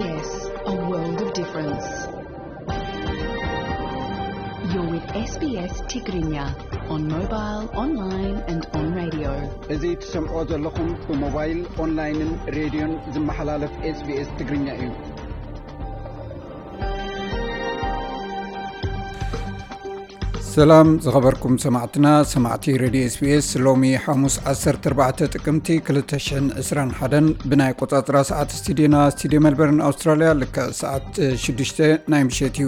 Yes, a world of difference. You're with S B S Tigrinya on mobile, online and on radio. እዚ ትሰምዖ ዘለኹም ብሞባይል፣ ኦንላይንን ሬድዮን ዝመሓላለፍ SBS ትግርኛ እዩ። ሰላም ዝኸበርኩም ሰማዕትና፣ ሰማዕቲ ሬድዮ SBS። ሎሚ ሓሙስ ዓሰርተ ኣርባዕተ ጥቅምቲ ክልተ ሽሕን ዕስራን ሓደን ብናይ ቆጻጽራ ሰዓት ስቱዲዮና፣ ስቱዲዮ ሜልበርን ኣውስትራልያ፣ ልክዕ ሰዓት ሽዱሽተ ናይ ምሸት እዩ።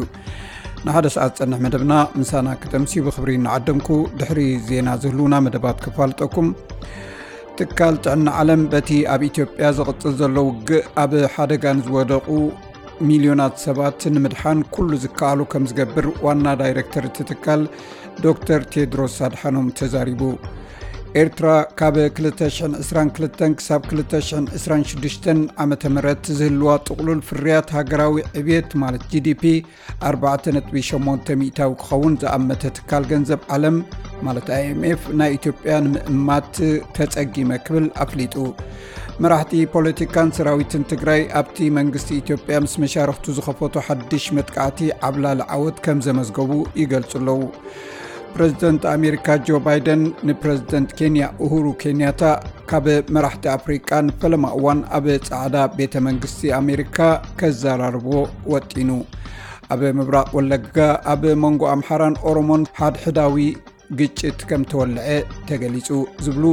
ንሓደ ሰዓት ዝጸንሕ መደብና ምሳና ክጠምሲ ብኽብሪ እናዓደምኩ፣ ድሕሪ ዜና ዝህልውና መደባት ክፋልጠኩም። ትካል ጥዕና ዓለም በቲ ኣብ ኢትዮጵያ ዝቕጽል ዘሎ ውግእ ኣብ ሓደጋ ንዝወደቑ ሚልዮናት ሰባት ንምድሓን ኩሉ ዝከኣሎ ከም ዝገብር ዋና ዳይሬክተር እቲ ትካል ዶክተር ቴድሮስ ኣድሓኖም ተዛሪቡ። ኤርትራ ካብ ክልተ ሽሕን ዕስራን ክልተን ክሳብ ክልተ ሽሕን ዕስራን ሽዱሽተን ዓመተ ምህረት ዝህልዋ ጥቕሉል ፍርያት ሃገራዊ ዕብየት ማለት GDP ኣርባዕተ ነጥቢ ሸሞንተ ሚእታዊ ክኸውን ዝኣመተ ትካል ገንዘብ ዓለም ማለት IMF ናይ ኢትዮጵያ ንምእማት ተጸጊመ ክብል ኣፍሊጡ። መራሕቲ ፖለቲካን ሰራዊትን ትግራይ ኣብቲ መንግስቲ ኢትዮጵያ ምስ መሻርኽቱ ዝኸፈቶ ሓድሽ መጥቃዕቲ ዓብላሊ ዓወት ከም ዘመዝገቡ ይገልጹ ኣለዉ። ፕረዚደንት ኣሜሪካ ጆ ባይደን ንፕረዚደንት ኬንያ ኡሁሩ ኬንያታ ካብ መራሕቲ ኣፍሪቃ ንፈለማ እዋን ኣብ ጻዕዳ ቤተ መንግስቲ ኣሜሪካ ከዘራርቦ ወጢኑ። ኣብ ምብራቕ ወለጋ ኣብ መንጎ ኣምሓራን ኦሮሞን ሓድሕዳዊ ግጭት ከም ተወልዐ ተገሊጹ ዝብሉ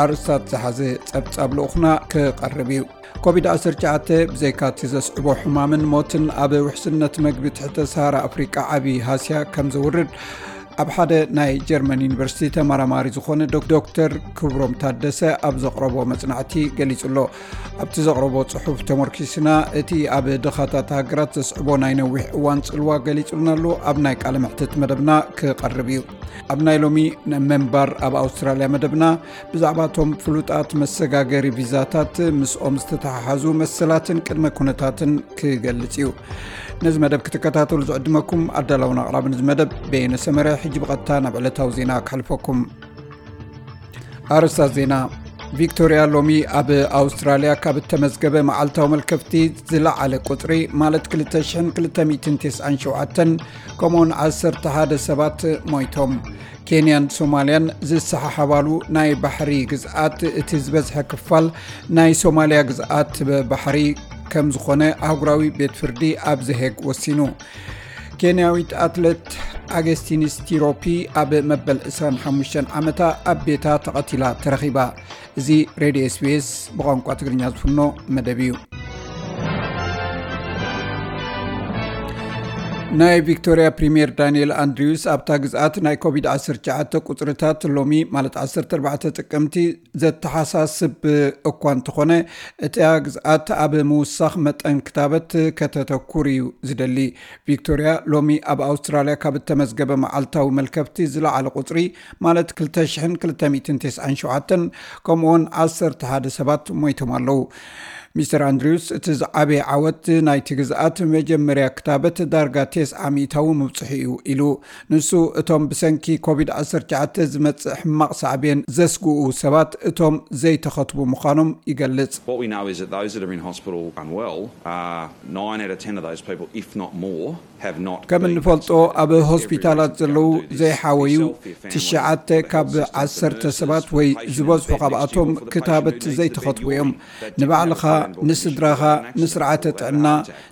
ኣርእስታት ዝሓዘ ጸብጻብ ልኡኽና ክቐርብ እዩ። ኮቪድ ዓሰርተ ትሽዓተ ብዘይካ እቲ ዘስዕቦ ሕማምን ሞትን ኣብ ውሕስነት መግቢ ትሕተ ሰሃራ ኣፍሪቃ ዓቢ ሃስያ ከም ዘውርድ ኣብ ሓደ ናይ ጀርመን ዩኒቨርሲቲ ተመራማሪ ዝኾነ ዶክ-፣ ዶክተር ክብሮም ታደሰ ኣብ ዘቕረቦ መጽናዕቲ ገሊጹ ኣሎ። ኣብቲ ዘቕረቦ ጽሑፍ ተመርኪስና እቲ ኣብ ድኻታት ሃገራት ዘስዕቦ ናይ ነዊሕ እዋን ጽልዋ ገሊጹልና ኣሎ። ኣብ ናይ ቃለ መሕትት መደብና ክቐርብ እዩ። ኣብ ናይ ሎሚ ምንባር ኣብ ኣውስትራልያ መደብና ብዛዕባ እቶም ፍሉጣት መሰጋገሪ ቪዛታት ምስኦም ዝተተሓሓዙ መሰላትን ቅድመ ኩነታትን ክገልጽ እዩ። ነዚ መደብ ክትከታተሉ ዝዕድመኩም ኣዳላውን ኣቕራብን እዚ መደብ በየነ ሰመረ። ሕጂ ብቐጥታ ናብ ዕለታዊ ዜና ከሕልፈኩም። ኣርእስታት ዜና። ቪክቶርያ ሎሚ ኣብ ኣውስትራልያ ካብ እተመዝገበ መዓልታዊ መልከፍቲ ዝለዓለ ቁጽሪ ማለት ክልተ ሽሕን ክልተ ሚእትን ተስዓን ሸውዓተን ከምኡውን ዓሰርተ ሓደ ሰባት ሞይቶም። ኬንያን ሶማልያን ዝሰሓሓባሉ ናይ ባሕሪ ግዝኣት እቲ ዝበዝሐ ክፋል ናይ ሶማልያ ግዝኣት ባሕሪ ከም ዝኾነ ኣህጉራዊ ቤት ፍርዲ ኣብ ዘሄግ ወሲኑ። ኬንያዊት ኣትሌት ኣገስቲንስ ቲሮፒ ኣብ መበል ዕስራን ሓሙሽተን ዓመታ ኣብ ቤታ ተቐቲላ ተረኺባ። እዚ ሬድዮ SBS ብቋንቋ ትግርኛ ዝፍኖ መደብ እዩ። ናይ ቪክቶርያ ፕሪምየር ዳንኤል ኣንድሪውስ ኣብታ ግዝኣት ናይ ኮቪድ ዓሰርተ ትሽዓተ ቁጽርታት ሎሚ ማለት ዓሰርተ ኣርባዕተ ጥቅምቲ ዘተሓሳስብ እኳ እንተኾነ፣ እታ ግዝኣት ኣብ ምውሳኽ መጠን ክታበት ከተተኩር እዩ ዝደሊ። ቪክቶርያ ሎሚ ኣብ ኣውስትራልያ ካብ እተመዝገበ መዓልታዊ መልከፍቲ ዝለዓለ ቁጽሪ ማለት ክልተ ሽሕን ክልተ ሚእትን ተስዓን ሸውዓተን ከምኡውን ዓሰርተ ሓደ ሰባት ሞይቶም ኣለዉ። ሚስተር ኣንድሪውስ፣ እቲ ዝዓበየ ዓወት ናይቲ ግዝኣት መጀመርያ ክታበት ዳርጋ ተስዓ ሚእታዊ ምብጽሑ እዩ ኢሉ። ንሱ፣ እቶም ብሰንኪ ኮቪድ ዓሰርተ ትሽዓተ ዝመጽእ ሕማቕ ሳዕቤን ዘስግኡ ሰባት እቶም ዘይተኸትቡ ምዃኖም ይገልጽ። What we know is that those that are in hospital unwell are nine out of ten of those people, if not more, have not ከም been እንፈልጦ vaccinated. ኣብ Every ሆስፒታላት risk ዘለዉ factor do this ዘይሓወዩ yourself, your family, ትሽዓተ the ካብ health system, ዓሰርተ the ሰባት nurses, ወይ patient ዝበዝሑ advocate ካብኣቶም next door for the ክታበት patient who needs to be ዘይተኸትቡ እዮም። Looked at. They didn't have ንባዕልኻ፣ a credible ንስድራኻ፣ insurance plan, ንስርዓተ ጥዕና፣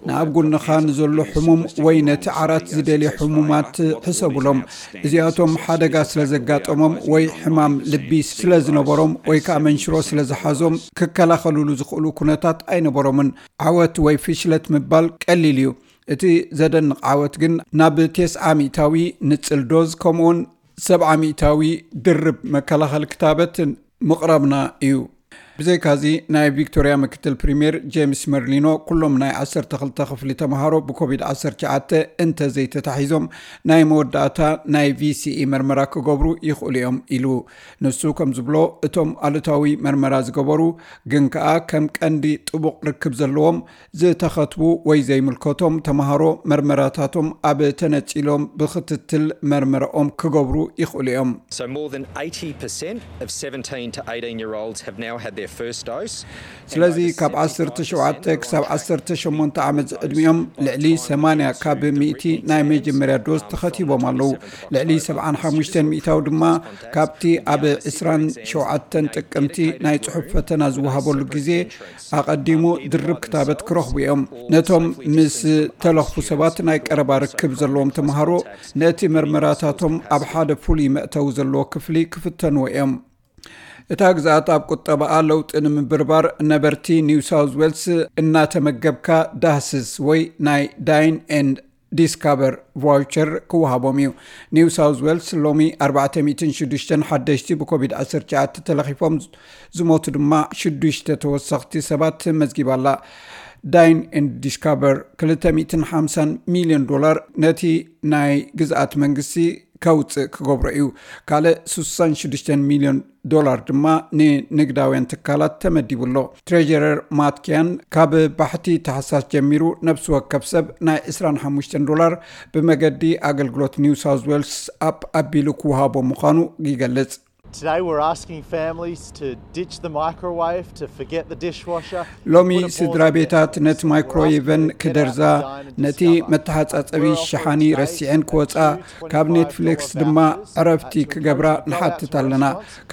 ንኣብ ጎንኻ ንዘሎ ሕሙም ወይ ነቲ ዓራት ዝደልዩ ሕሙማት ሕሰቡሎም። እዚኣቶም ሓደጋ ስለ ዘጋጠሞም ወይ ሕማም ልቢ ስለ ዝነበሮም ወይ ከዓ መንሽሮ ስለ ዝሓዞም ክከላኸሉሉ ዝኽእሉ ኩነታት ኣይነበሮምን። ዓወት ወይ ፍሽለት ምባል ቀሊል እዩ። እቲ ዘደንቕ ዓወት ግን ናብ ተስዓ ሚእታዊ ንጽል ዶዝ ከምኡውን ሰብዓ ሚእታዊ ድርብ መከላኸሊ ክታበት ምቕራብና እዩ። ብዘይካዚ ናይ ቪክቶርያ ምክትል ፕሪምየር ጄምስ መርሊኖ ኩሎም ናይ ዓሰርተ ክልተ ክፍሊ ተምሃሮ ብኮቪድ ዓሰርተ ትሽዓተ እንተዘይተታሒዞም ናይ መወዳእታ ናይ VCE መርመራ ክገብሩ ይኽእሉ እዮም ኢሉ። ንሱ ከም ዝብሎ እቶም ኣሉታዊ መርመራ ዝገበሩ ግን ከኣ ከም ቀንዲ ጥቡቕ ርክብ ዘለዎም ዝተኸትቡ ወይ ዘይምልከቶም ተምሃሮ መርመራታቶም ኣብ ተነጺሎም ብክትትል መርመራኦም ክገብሩ ይኽእሉ እዮም። So more than eighty percent of seventeen to eighteen year olds have now had their ስለዚ ካብ ዓሰርተ ሸውዓተ ክሳብ ዓሰርተ ሸሞንተ ዓመት ዝዕድሚኦም ልዕሊ ሰማንያ ካብ ሚእቲ ናይ መጀመርያ ዶዝ ተኸቲቦም ኣለዉ። ልዕሊ ሰብዓን ሓሙሽተን ሚእታዊ ድማ ካብቲ ኣብ ዕስራን ሸውዓተን ጥቅምቲ ናይ ጽሑፍ ፈተና ዝወሃበሉ ግዜ ኣቐዲሙ ድርብ ክታበት ክረኽቡ እዮም። ነቶም ምስ ተለኽፉ ሰባት ናይ ቀረባ ርክብ ዘለዎም ተምሃሮ ነቲ መርመራታቶም ኣብ ሓደ ፍሉይ መእተዊ ዘለዎ ክፍሊ ክፍተንዎ እዮም። እታ ግዝኣት ኣብ ቁጠባኣ ለውጢ ንምብርባር ነበርቲ ኒው ሳውዝ ዌልስ እናተመገብካ ዳህስስ ወይ ናይ ዳይን ኤንድ ዲስካቨር ቫውቸር ክወሃቦም እዩ። ኒው ሳውዝ ዌልስ ሎሚ ኣርባዕተ ሚእትን ሽዱሽተን ሓደሽቲ ብኮቪድ ዓሰርተ ትሽዓተ ተለኺፎም ዝሞቱ ድማ ሽዱሽተ ተወሰኽቲ ሰባት መዝጊባ ኣላ። ዳይን ኤንድ ዲስካቨር ክልተ ሚእትን ሓምሳን ሚልዮን ዶላር ነቲ ናይ ግዝኣት መንግስቲ ከውፅእ ክገብሮ እዩ። ካልእ ስሳን ሽዱሽተን ሚልዮን ዶላር ድማ ንንግዳውያን ትካላት ተመዲቡ ኣሎ። ትሬጀረር ማትኪያን ካብ ባሕቲ ታሕሳስ ጀሚሩ ነብሲ ወከፍ ሰብ ናይ ዕስራን ሓሙሽተን ዶላር ብመገዲ ኣገልግሎት ኒው ሳውዝ ዌልስ ኣፕ ኣቢሉ ክወሃቦ ምዃኑ ይገልጽ። Today we're asking families to ditch the microwave, to forget the dishwasher. ሎሚ ስድራ ቤታት ነቲ ማይክሮዌቨን ክደርዛ፣ ነቲ መተሓጻጸቢ ሸሓኒ ረሲዐን ክወጻ፣ ካብ ኔትፍሊክስ ድማ ዕረፍቲ ክገብራ ንሓትት ኣለና።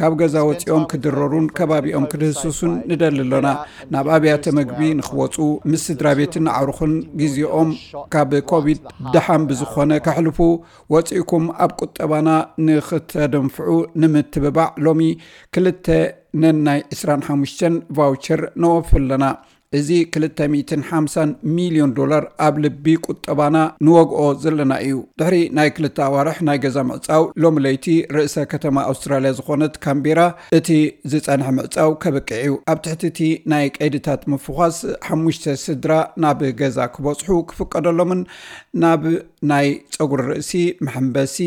ካብ ገዛ ወጺኦም ክድረሩን ከባቢኦም ክድህስሱን ንደሊ ኣሎና። ናብ ኣብያተ መግቢ ንኽወጹ፣ ምስ ስድራ ቤትን ኣዕሩኽን ግዜኦም ካብ ኮቪድ ደሓን ብዝኾነ ከሕልፉ፣ ወጺእኩም ኣብ ቁጠባና ንኽተደንፍዑ ንምትብባዕ ሎሚ ክልተ ነናይ ዕስራን ሓሙሽተን ቫውቸር ነወፊ ኣለና። እዚ ክልተ ሚእትን ሓምሳን ሚልዮን ዶላር ኣብ ልቢ ቁጠባና ንወግኦ ዘለና እዩ። ድሕሪ ናይ ክልተ ኣዋርሕ ናይ ገዛ ምዕጻው፣ ሎሚ ለይቲ ርእሰ ከተማ ኣውስትራልያ ዝኾነት ካምቤራ እቲ ዝጸንሐ ምዕጻው ከብቅዕ እዩ። ኣብ ትሕቲ እቲ ናይ ቀይድታት ምፍዃስ፣ ሓሙሽተ ስድራ ናብ ገዛ ክበጽሑ ክፍቀደሎምን ናብ ናይ ጸጉሪ ርእሲ፣ መሐንበሲ፣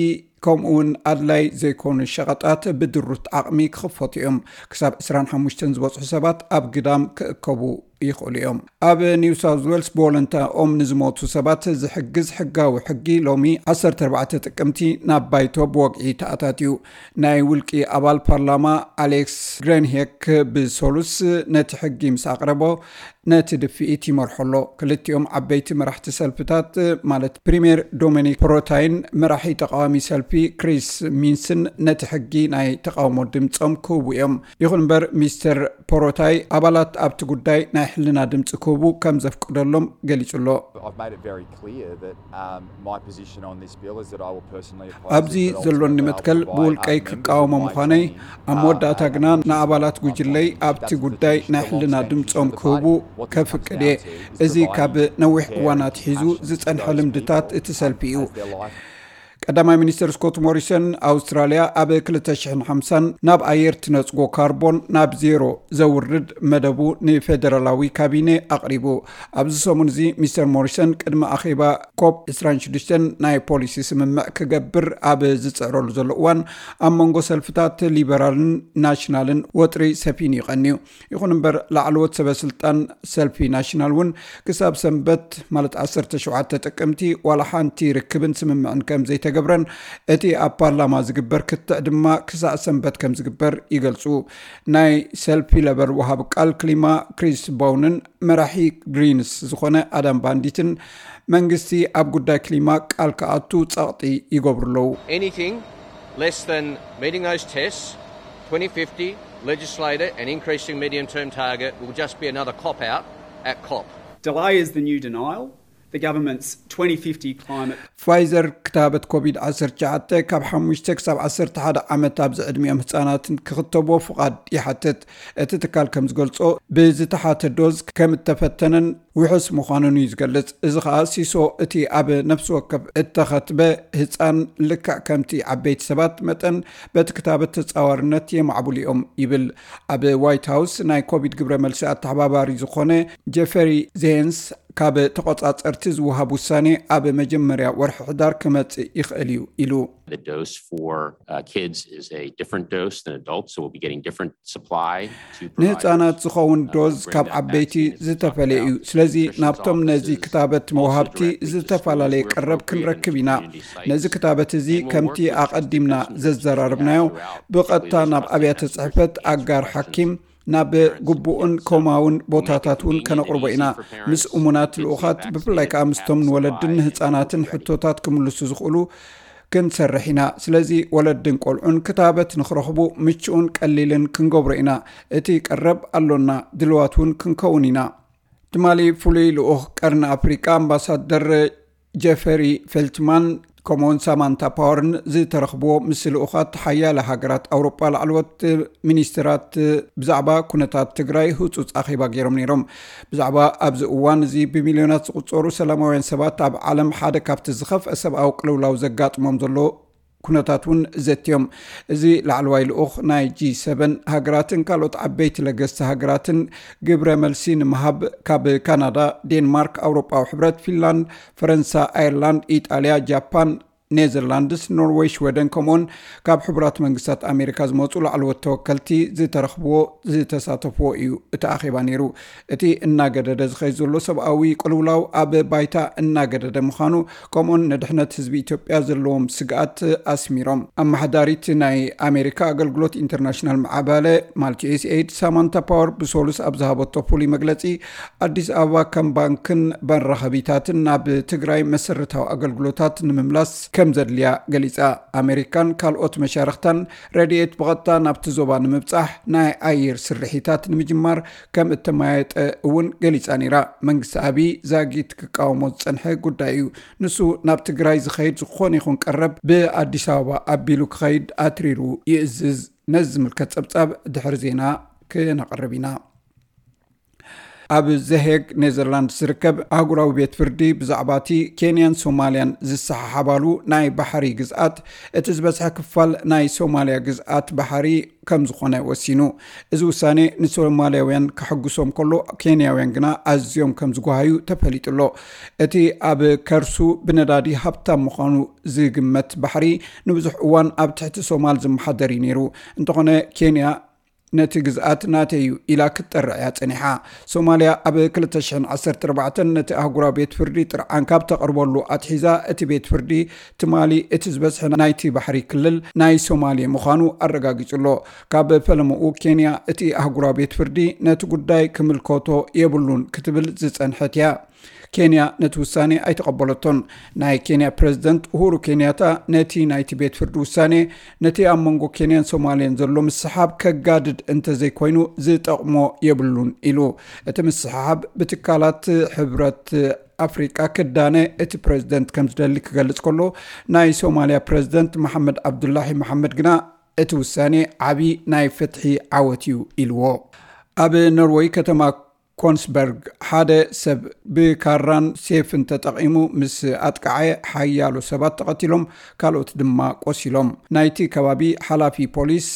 ከምኡ እውን ኣድላይ ዘይኮኑ ሸቐጣት ብድሩት ዓቕሚ ክኽፈቱ እዮም። ክሳብ ዕስራን ሓሙሽተን ዝበጽሑ ሰባት ኣብ ግዳም ክእከቡ ይኽእሉ እዮም። ኣብ ኒው ሳውዝ ዌልስ ብወለንታኦም ንዝሞቱ ሰባት ዝሕግዝ ሕጋዊ ሕጊ ሎሚ ዓሰርተ ኣርባዕተ ጥቅምቲ ናብ ባይቶ ብወግዒ ተኣታትዩ። ናይ ውልቂ ኣባል ፓርላማ ኣሌክስ ግሬንሄክ ብሰሉስ ነቲ ሕጊ ምስ ኣቕረቦ፣ ነቲ ድፍኢት ይመርሖ ኣሎ። ክልቲኦም ዓበይቲ መራሕቲ ሰልፍታት፣ ማለት ፕሪምየር ዶሚኒክ ፖሮታይን መራሒ ተቃዋሚ ሰልፊ ክሪስ ሚንስን፣ ነቲ ሕጊ ናይ ተቃውሞ ድምጾም ክህቡ እዮም። ይኹን እምበር፣ ሚስተር ፖሮታይ ኣባላት ኣብቲ ጉዳይ ናይ ሕልና ድምጺ ክህቡ ከም ዘፍቅደሎም ገሊጹ ኣሎ። I've made it very clear that um, my position on this bill is that I will personally oppose ኣብዚ ዘሎኒ መትከል ብውልቀይ ክቃወሞ ምዃነይ፣ ኣብ መወዳእታ ግና ንኣባላት ጉጅለይ ኣብቲ ጉዳይ ናይ ሕልና ድምጾም ክህቡ ከፍቅድ እየ። እዚ ካብ ነዊሕ እዋን ኣትሒዙ ዝጸንሐ ልምድታት እቲ ሰልፊ እዩ። ቀዳማይ ሚኒስትር ስኮት ሞሪሰን፣ ኣውስትራልያ ኣብ ክልተ ሽሕን ሓምሳን ናብ ኣየር ትነጽጎ ካርቦን ናብ ዜሮ ዘውርድ መደቡ ንፌደራላዊ ካቢነ ኣቕሪቡ። ኣብዚ ሰሙን እዚ ሚስተር ሞሪሰን ቅድሚ ኣኼባ ኮፕ ዕስራን ሽዱሽተን ናይ ፖሊሲ ስምምዕ ክገብር ኣብ ዝጽዕረሉ ዘሎ እዋን፣ ኣብ መንጎ ሰልፍታት ሊበራልን ናሽናልን ወጥሪ ሰፊኑ ይቐንዩ። ይኹን እምበር፣ ላዕለዎት ሰበ ስልጣን ሰልፊ ናሽናል እውን ክሳብ ሰንበት፣ ማለት ዓሰርተ ሸውዓተ ጥቅምቲ፣ ዋላ ሓንቲ ርክብን ስምምዕን ከም ዘይተገብረን፣ እቲ ኣብ ፓርላማ ዝግበር ክትዕ ድማ ክሳዕ ሰንበት ከም ዝግበር ይገልጹ። ናይ ሰልፊ ለበር ወሃብ ቃል ክሊማ ክሪስ ቦውንን መራሒ ግሪንስ ዝኾነ ኣዳም ባንዲትን፣ መንግስቲ ኣብ ጉዳይ ክሊማ ቃል ክኣቱ ጸቕጢ ይገብሩ ኣለዉ። Anything less than meeting those tests, twenty fifty legislator and increasing medium term target will just be another cop out at COP. Delay is the new denial. The government's twenty fifty climate ፋይዘር ክታበት ኮቪድ ዓሰርተ ትሽዓተ ካብ ሓሙሽተ ክሳብ ዓሰርተ ሓደ ዓመት ኣብ ዝዕድሚኦም ህጻናት ክኽተብዎ ፍቓድ ይሓትት። እቲ ትካል ከም ዝገልጾ፣ ብዝተሓተ ዶዝ ከም እተፈተነን ውሑስ ምዃኑን እዩ ዝገልጽ። እዚ ኸኣ ሲሶ እቲ ኣብ ነፍሲ ወከፍ እተኸትበ ህጻን ልክዕ ከምቲ ዓበይቲ ሰባት መጠን በቲ ክታበት ተጻዋርነት የማዕብሉ እዮም ይብል። ኣብ ዋይት ሃውስ ናይ ኮቪድ ግብረ መልሲ ኣተሓባባሪ ዝኾነ ጀፈሪ ዜንስ፣ ካብ ተቖጻጸርቲ ዝወሃብ ውሳኔ ኣብ መጀመርያ ወርሒ ሕዳር ክመጽእ ይኽእል እዩ ኢሉ። The dose for uh, kids is a different dose than adults, so we'll be getting different supply to provide ንህጻናት ዝኸውን ዶዝ ካብ ዓበይቲ ዝተፈለየ እዩ። ስለዚ ናብቶም ነዚ ክታበት መውሃብቲ ዝተፈላለየ ቀረብ ክንረክብ ኢና። ነዚ ክታበት እዚ ከምቲ ኣቐዲምና ዘዘራረብናዮ ብቐጥታ ናብ ኣብያተ ጽሕፈት ኣጋር ሓኪም ናብ ግቡእን ኮማውን ቦታታት እውን ከነቕርቦ ኢና። ምስ እሙናት ልኡኻት፣ ብፍላይ ከዓ ምስቶም ንወለድን ንህፃናትን ሕቶታት ክምልሱ ዝኽእሉ ክንሰርሕ ኢና። ስለዚ ወለድን ቆልዑን ክታበት ንኽረኽቡ ምቹእን ቀሊልን ክንገብሮ ኢና። እቲ ቀረብ ኣሎና፣ ድልዋት እውን ክንከውን ኢና። ትማሊ ፍሉይ ልኡኽ ቀርኒ ኣፍሪቃ ኣምባሳደር ጀፈሪ ፌልትማን ከምኡውን ሳማንታ ፓወርን ዝተረኽብዎ ምስ ልኡኻት ሓያለ ሃገራት ኣውሮጳ ላዕለዎት ሚኒስትራት ብዛዕባ ኩነታት ትግራይ ህጹጽ ኣኼባ ገይሮም ነይሮም። ብዛዕባ ኣብዚ እዋን እዚ ብሚልዮናት ዝቑጸሩ ሰላማውያን ሰባት ኣብ ዓለም ሓደ ካብቲ ዝኸፍአ ሰብኣዊ ቅልውላው ዘጋጥሞም ዘሎ ኩነታት እውን ዘትዮም። እዚ ላዕለዋይ ልኡኽ ናይ ጂ ሰቨን ሃገራትን ካልኦት ዓበይቲ ለገስቲ ሃገራትን ግብረ መልሲ ንምሃብ ካብ ካናዳ፣ ዴንማርክ፣ ኣውሮጳዊ ሕብረት፣ ፊንላንድ፣ ፈረንሳ፣ ኣየርላንድ፣ ኢጣልያ፣ ጃፓን፣ ኔዘርላንድስ፣ ኖርዌይ፣ ሽወደን ከምኡውን ካብ ሕቡራት መንግስታት ኣሜሪካ ዝመፁ ላዕለዎት ተወከልቲ ዝተረኽብዎ ዝተሳተፍዎ እዩ እቲ ኣኼባ ነይሩ። እቲ እናገደደ ዝኸይድ ዘሎ ሰብኣዊ ቅልውላው ኣብ ባይታ እናገደደ ምዃኑ ከምኡን ንድሕነት ህዝቢ ኢትዮጵያ ዘለዎም ስግኣት ኣስሚሮም። ኣመሓዳሪት ናይ ኣሜሪካ ኣገልግሎት ኢንተርናሽናል ምዕባለ ማለት ዩ ኤስ ኤድ ሳማንታ ፓወር ብሶሉስ ኣብ ዝሃበቶ ፍሉይ መግለፂ ኣዲስ ኣበባ ከም ባንክን መራኸቢታትን ናብ ትግራይ መሰረታዊ ኣገልግሎታት ንምምላስ ከም ዘድልያ ገሊፃ። ኣሜሪካን ካልኦት መሻርክታን ረድኤት ብቐጥታ ናብቲ ዞባ ንምብፃሕ ናይ ኣየር ስርሒታት ንምጅማር ከም እተመያየጠ እውን ገሊፃ ነይራ። መንግስቲ ኣብይ ዛጊት ክቃወሞ ዝፀንሐ ጉዳይ እዩ። ንሱ ናብ ትግራይ ዝኸይድ ዝኾነ ይኹን ቀረብ ብኣዲስ ኣበባ ኣቢሉ ክኸይድ ኣትሪሩ ይእዝዝ። ነዚ ዝምልከት ፀብፃብ ድሕሪ ዜና ክነቕርብ ኢና። ኣብ ዘሄግ ኔዘርላንድስ ዝርከብ ኣህጉራዊ ቤት ፍርዲ ብዛዕባ እቲ ኬንያን ሶማልያን ዝሰሓሓባሉ ናይ ባሕሪ ግዝኣት እቲ ዝበዝሐ ክፋል ናይ ሶማልያ ግዝኣት ባሕሪ ከም ዝኾነ ወሲኑ። እዚ ውሳኔ ንሶማልያውያን ከሐጉሶም ከሎ፣ ኬንያውያን ግና ኣዝዮም ከም ዝጓሃዩ ተፈሊጡ ኣሎ። እቲ ኣብ ከርሱ ብነዳዲ ሃብታም ምዃኑ ዝግመት ባሕሪ ንብዙሕ እዋን ኣብ ትሕቲ ሶማል ዝመሓደር እዩ ነይሩ። እንተኾነ ኬንያ ነቲ ግዝኣት ናተይ እዩ ኢላ ክትጠርዕ እያ ጸኒሓ። ሶማልያ ኣብ ክልተ ሽሕን ዓሰርተ ኣርባዕተን ነቲ ኣህጉራዊ ቤት ፍርዲ ጥርዓን ካብ ተቕርበሉ ኣትሒዛ፣ እቲ ቤት ፍርዲ ትማሊ እቲ ዝበዝሐ ናይቲ ባሕሪ ክልል ናይ ሶማሌ ምዃኑ ኣረጋጊጹ ኣሎ። ካብ ፈለምኡ ኬንያ እቲ ኣህጉራዊ ቤት ፍርዲ ነቲ ጉዳይ ክምልከቶ የብሉን ክትብል ዝጸንሐት እያ። ኬንያ ነቲ ውሳኔ ኣይተቐበለቶን። ናይ ኬንያ ፕረዚደንት ኡሁሩ ኬንያታ ነቲ ናይቲ ቤት ፍርዲ ውሳኔ ነቲ ኣብ መንጎ ኬንያን ሶማልያን ዘሎ ምስሓብ ከጋድድ እንተዘይኮይኑ ዝጠቕሞ የብሉን ኢሉ። እቲ ምስሓብ ብትካላት ሕብረት ኣፍሪቃ ክዳነ እቲ ፕረዚደንት ከም ዝደሊ ክገልጽ ከሎ፣ ናይ ሶማልያ ፕረዚደንት መሓመድ ዓብዱላሂ መሓመድ ግና እቲ ውሳኔ ዓቢ ናይ ፍትሒ ዓወት እዩ ኢልዎ። ኣብ ኖርወይ ከተማ ኮንስበርግ ሓደ ሰብ ብካራን ሴፍን ተጠቒሙ ምስ ኣጥቃዐ ሓያሎ ሰባት ተቐቲሎም፣ ካልኦት ድማ ቆሲሎም። ናይቲ ከባቢ ሓላፊ ፖሊስ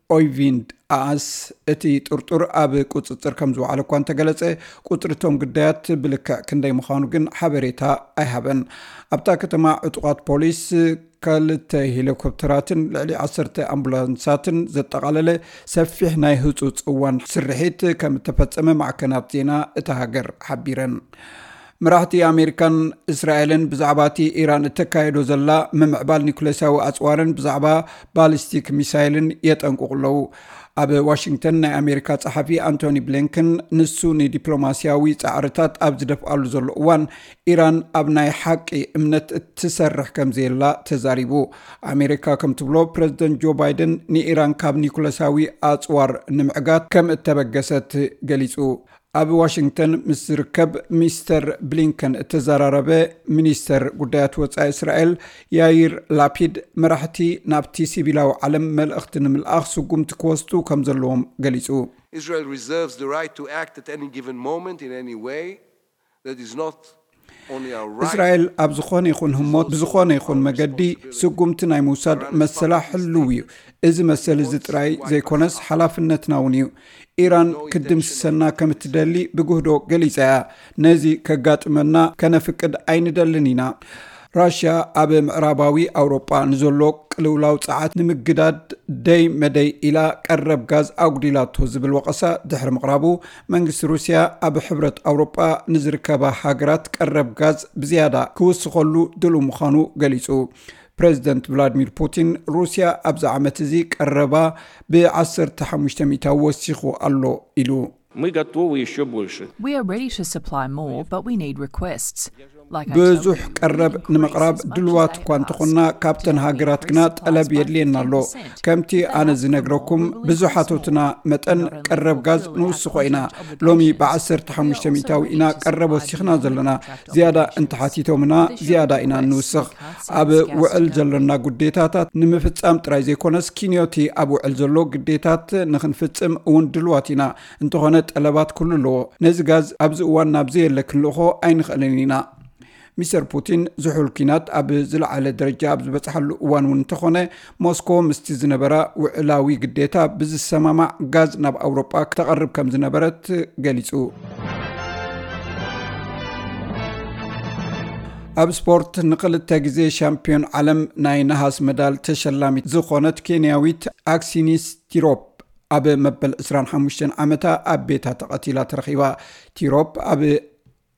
ኦይቪንድ ኣኣስ እቲ ጥርጡር ኣብ ቁጽጽር ከም ዝወዓለ እኳ እንተገለጸ፣ ቁጽሪ እቶም ግዳያት ብልክዕ ክንደይ ምዃኑ ግን ሓበሬታ ኣይሃበን። ኣብታ ከተማ ዕጡቓት ፖሊስ ክልተ ሄሊኮፕተራትን ልዕሊ ዓሰርተ ኣምቡላንሳትን ዘጠቓለለ ሰፊሕ ናይ ህጹጽ እዋን ስርሒት ከም እተፈጸመ ማዕከናት ዜና እታ ሃገር ሓቢረን። መራሕቲ ኣሜሪካን እስራኤልን ብዛዕባ እቲ ኢራን እተካየዶ ዘላ ምምዕባል ኒኩሌሳዊ ኣጽዋርን ብዛዕባ ባሊስቲክ ሚሳይልን የጠንቅቑ ኣለዉ። ኣብ ዋሽንግተን ናይ ኣሜሪካ ጸሓፊ ኣንቶኒ ብሊንከን፣ ንሱ ንዲፕሎማስያዊ ጻዕርታት ኣብ ዝደፍኣሉ ዘሎ እዋን፣ ኢራን ኣብ ናይ ሓቂ እምነት እትሰርሕ ከም ዘየላ ተዛሪቡ። ኣሜሪካ ከም ትብሎ፣ ፕረዚደንት ጆ ባይደን ንኢራን ካብ ኒኩለሳዊ ኣጽዋር ንምዕጋት ከም እተበገሰት ገሊጹ። ኣብ ዋሽንግተን ምስ ዝርከብ ሚስተር ብሊንከን እተዘራረበ ሚኒስተር ጉዳያት ወጻኢ እስራኤል ያይር ላፒድ፣ መራሕቲ ናብቲ ሲቪላዊ ዓለም መልእኽቲ ንምልኣኽ ስጉምቲ ክወስዱ ከም ዘለዎም ገሊጹ። Israel reserves the right to act at any given moment in any way that is not only our right. እስራኤል ኣብ ዝኾነ ይኹን ህሞት ብዝኾነ ይኹን መገዲ ስጉምቲ ናይ ምውሳድ መሰላ ሕልው እዩ። እዚ መሰል እዚ ጥራይ ዘይኮነስ ሓላፍነትና እውን እዩ። ኢራን ክትድምስሰና ከም እትደሊ ብግህዶ ገሊጻ እያ። ነዚ ከጋጥመና ከነፍቅድ ኣይንደልን ኢና። ራሽያ ኣብ ምዕራባዊ ኣውሮጳ ንዘሎ ቅልውላው ጸዓት ንምግዳድ ደይ መደይ ኢላ ቀረብ ጋዝ ኣጉዲላቶ ዝብል ወቐሳ ድሕሪ ምቕራቡ፣ መንግስቲ ሩስያ ኣብ ሕብረት ኣውሮጳ ንዝርከባ ሃገራት ቀረብ ጋዝ ብዝያዳ ክውስኸሉ ድሉው ምዃኑ ገሊጹ። ፕሬዚደንት ቭላድሚር ፑቲን፣ ሩስያ ኣብዚ ዓመት እዚ ቀረባ ብ15 ሚእታዊ ወሲኹ ኣሎ ኢሉ። Мы готовы еще больше. We are ready to supply more, but we need requests. Like I told ብዙሕ you, ቀረብ we can ንምቕራብ increase as ድልዋት much እኳ as እንተኾንና፣ ካብተን ሃገራት ግና ጠለብ የድልየና ኣሎ። ከምቲ ኣነ ዝነግረኩም፣ ብዙሓቶትና መጠን ቀረብ ጋዝ ንውስኾ ኢና። ሎሚ ብ15 ሚእታዊ ኢና ቀረብ ወሲኽና ዘለና። ዝያዳ እንተሓቲቶምና፣ ዝያዳ ኢና እንውስኽ። ኣብ ውዕል ዘሎና ግዴታታት ንምፍጻም ጥራይ ዘይኮነስ፣ ኪንዮቲ ኣብ ውዕል ዘሎ ግዴታት ንኽንፍጽም እውን ድልዋት ኢና። እንተኾነ፣ ጠለባት ኩሉ ኣለዎ። ነዚ ጋዝ ኣብዚ እዋን ናብ ዘየለ ክንልእኾ ኣይንኽእልን ኢና። ሚስተር ፑቲን፣ ዝሑል ኲናት ኣብ ዝለዓለ ደረጃ ኣብ ዝበጽሓሉ እዋን እውን እንተኾነ፣ ሞስኮ ምስቲ ዝነበራ ውዕላዊ ግዴታ ብዝሰማማዕ ጋዝ ናብ ኣውሮጳ ክተቐርብ ከም ዝነበረት ገሊጹ። ኣብ ስፖርት፣ ንክልተ ግዜ ሻምፒዮን ዓለም ናይ ነሃስ መዳል ተሸላሚት ዝኾነት ኬንያዊት ኣክሲኒስ ቲሮፕ ኣብ መበል 25 ዓመታ ኣብ ቤታ ተቐቲላ ተረኺባ። ቲሮፕ ኣብ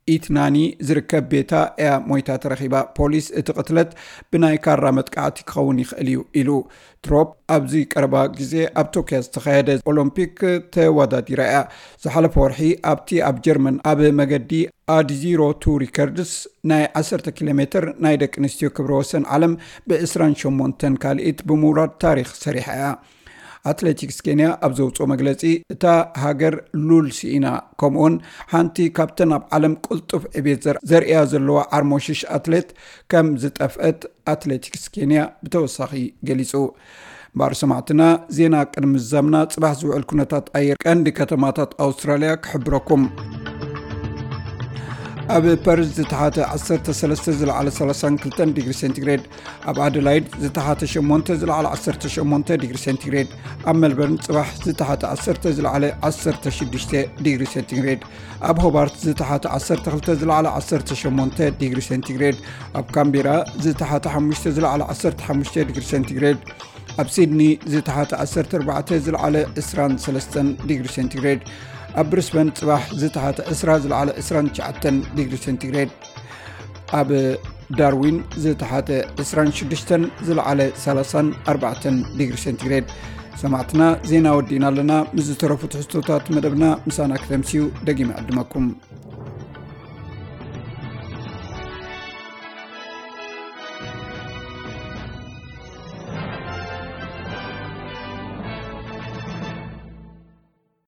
ኢትናኒ ዝርከብ ቤታ እያ ሞይታ ተረኺባ። ፖሊስ፣ እቲ ቅትለት ብናይ ካራ መጥቃዕቲ ክኸውን ይኽእል እዩ ኢሉ። ትሮፕ ኣብዚ ቀረባ ግዜ ኣብ ቶኪዮ ዝተኻየደ ኦሎምፒክ ተወዳዲራ እያ። ዝሓለፈ ወርሒ ኣብቲ ኣብ ጀርመን ኣብ መገዲ ኣድዚሮ ቱ ሪከርድስ ናይ 10 ኪሎ ሜትር ናይ ደቂ ኣንስትዮ ክብረ ወሰን ዓለም ብ28 ካልኢት ብምውራድ ታሪኽ ሰሪሓ እያ። ኣትሌቲክስ ኬንያ ኣብ ዘውፅኦ መግለፂ፣ እታ ሃገር ሉል ስኢና፣ ከምኡውን ሓንቲ ካብተን ኣብ ዓለም ቅልጡፍ ዕቤት ዘር-፣ ዘርእያ ዘለዋ ዓርሞሽሽ ኣትሌት ከም ዝጠፍአት ኣትሌቲክስ ኬንያ ብተወሳኺ ገሊጹ። እምበኣር ሰማዕትና፣ ዜና ቅድሚ ምዛምና፣ ጽባሕ ዝውዕል ኩነታት ኣየር ቀንዲ ከተማታት ኣውስትራልያ ክሕብረኩም። ኣብ ፐርዝ ዝተሓተ 13፣ ዝለዓለ 32 ዲግሪ ሴንቲግሬድ፣ ኣብ ኣደላይድ ዝተሓተ 8፣ ዝለዓለ 18 ዲግሪ ሴንቲግሬድ፣ ኣብ ሜልበርን ጽባሕ ዝተሓተ 10፣ ዝለዓለ 16 ዲግሪ ሴንቲግሬድ፣ ኣብ ሆባርት ዝተሓተ 12፣ ዝለዓለ 18 ዲግሪ ሴንቲግሬድ፣ ኣብ ካምቤራ ዝተሓተ 5፣ ዝለዓለ 15 ዲግሪ ሴንቲግሬድ፣ ኣብ ሲድኒ ዝተሓተ 14፣ ዝለዓለ 23 ዲግሪ ሴንቲግሬድ፣ ኣብ ብሪስበን ጽባሕ ዝተሓተ 20፣ ዝለዓለ 29 ዲግሪ ሴንቲግሬድ፣ ኣብ ዳርዊን ዝተሓተ 26፣ ዝለዓለ 34 ዲግሪ ሴንቲግሬድ። ሰማዕትና፣ ዜና ወዲእና ኣለና። ምስ ዝተረፉ ትሕዝቶታት መደብና ምሳና ክተምስዩ ደጊመ ዕድመኩም።